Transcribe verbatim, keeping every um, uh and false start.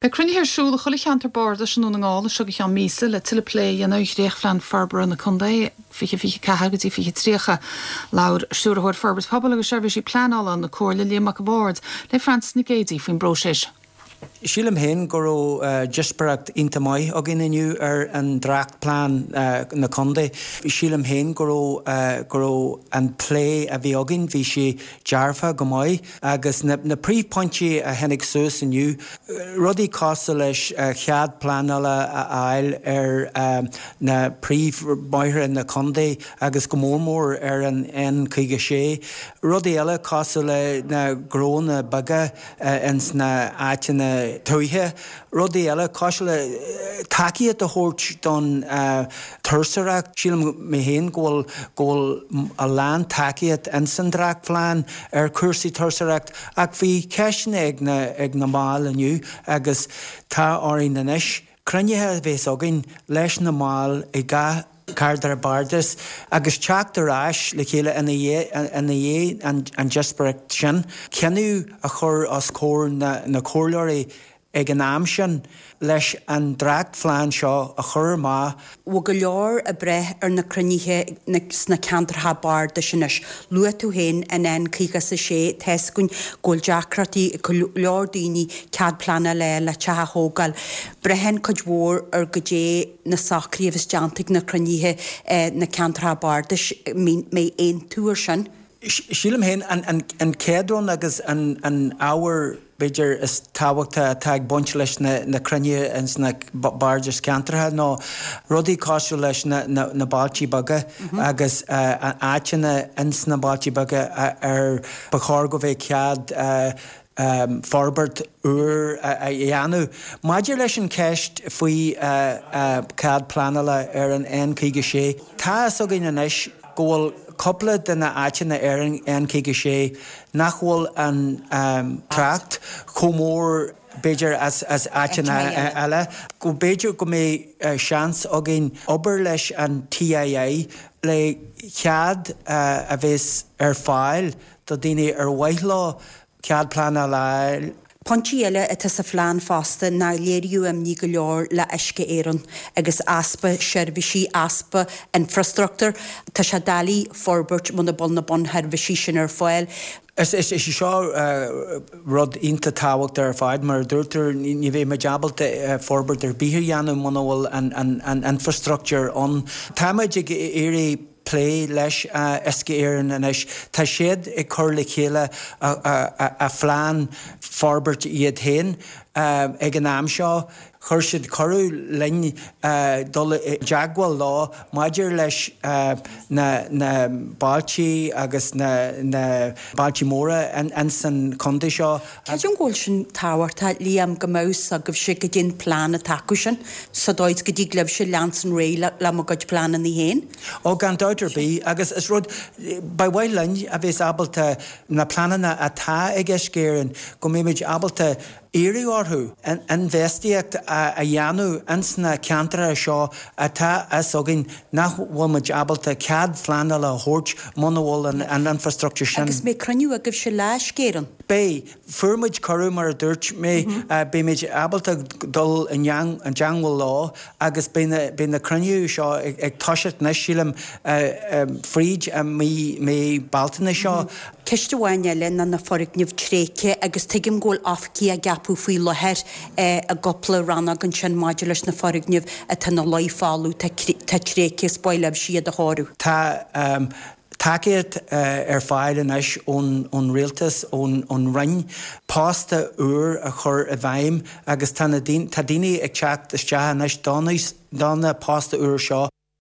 Beidh cruinnithe ar siúl i chuile cheantar bardais i nDún na nGall as seo go ceann míosa le tuilleadh plé a dhéanamh ar dhréachtphlean forbartha na contae fiche fiche ceathair go dtí fiche tríocha. Labhair Stiúrthóir Forbairt Pobail agus Seirbhísí Pleanála na Comhairle Liam Mac a' Bhaird le Frances Nic Géadaigh faoin bpróiseas. Sílim féin go raibh díospóireacht iontach maith againn inniu ar an dréachtphlean na contae. Sílim féin go raibh go raibh an plé a bhí againn, bhí sé dearfa go maith agus na, na príomhphointí a tháinig suas inniu, rudaí cosúil leis cead pleanála a fháil ar na príomhbhóithre na contae agus go mór mór ar an N caoga sé. Rudaí eile cosúil le na gnónna beaga ins na áiteanna tuaithe, rudaí eile cosúil le tacaíocht a thabhairt don turasóireacht. Sílim mé féin go bhfuil go bhfuil a lán tacaíocht ins an dréachtphlean ar chúrsaí turasóireacht, ach bhí ceisteanna ag na ag na baill inniu agus tá orainn anois cruinnithe a bheas againn leis na baill i gach ceantar bardais agus teacht ar ais le chéile ina dhiaidh an díospóireacht sin, cinneadh a chur os comhair na, na comhairleoirí ag an am sin leis an dréachtphlean seo a chur amach. Bhfuil go leor ag brath ar na cruinnithe sna ceantracha bardais anois. Luaigh tú féin an N caoga is a sé tá a fhios againn go bhfuil deacrachtaí ag go leor daoine cead pleanála le teach a thógáil. Braitheann cuid mhór ar goidé na socruithe a bheas déanta ag na cruinnithe na ceantracha bardais mbeidh aontú ar sin. Sílim féin an chéad rud agus an an ábhar b'fhéidir is tábhachtaí atá ag baint leis na na cruinnithe ins na bardais ceantracha ná rudaí cosúil leis na na na bailtí beaga agus áiteanna ins na bailtí beaga ar ba chóir go bheadh cead forbairt úr a dhéanamh. Maidir leis an cheist faoi cead pleanála ar an N caoga sé, tá a fhios againn anois go bhfuil cúpla de na áiteanna ar an N caoga sé nach bhfuil an trácht chomh mór b'fhéidir as as áiteanna eile, go b'fhéidir go mbeidh seans againn obair leis an TII le cead a bheas ar fáil do daoine ar mhaith leo cead pleanála a fháil. Pointí eile atá sa phlean fosta ná léiríodh imní go leor le Uisce Éireann agus easpa seirbhísí, easpa infrastruchtúr. Tá sé doiligh forbairt muna bhfuil na bunsheirbhísí sin ar fáil. Is is é seo rud iontach tábhachtach ar fad, mar a dúirt tú, ní bheidh muid ábalta forbairt ar bith a dhéanamh muna bhfuil an an an infrastruchtúr ann. Táimid ag iarraidh plé leis Uisce Éireann anois. Tá siad ag cur le chéile a phlean forbairt iad féin ag an am seo. Chuir siad cuireadh linn dul i dteagmháil leo maidir leis na na bailtí agus na na bailtí móra ins an chontae seo. Creidim go bhfuil sin tábhachtach, Liam, go mbeadh fhios agaibhse goidé an plean atá acu sin, sa dóigh is go dtig libhse leanstan ar aghaidh le mo gcuid pleananna féin. Ó, gan dabht ar bith, agus is rud, ba mhaith linn a bheas ábalta na pleananna atá ag Uisce Éireann, go mbeimid ábalta iarraidh orthu infheistíocht a dhéanamh ins na ceantracha seo atá fhios againn nach bhfuil muid ábalta cead phleanála a thabhairt muna bhfuil an infrastruchtúr sin. Agus mbeidh cruinniú agaibhse le Uisce Éireann? Beidh. Fuair muid cuireadh, mar a dúirt mé, beimid ábalta dul i dteangmháil leo agus beidh na cruinnithe seo ag toiseacht anois, sílim, fríd mí mí Bealtaine seo. Ceist amháin eile ná na foirgnimh tréigthe agus tuigim go bhfuil oifigigh á gceapadh faoi láthair i gcúpla rannóg ansin maidir leis na foirgnimh atá ina luí folamh, atá tréigthe is ba mhaith libhse iad a chóiriú. Tá tacaíocht ar fáil anois ón rialtas, ón Roinn, post úr a chur i bhfeidhm agus tá daoine ag teacht isteach anois do na poist úr seo.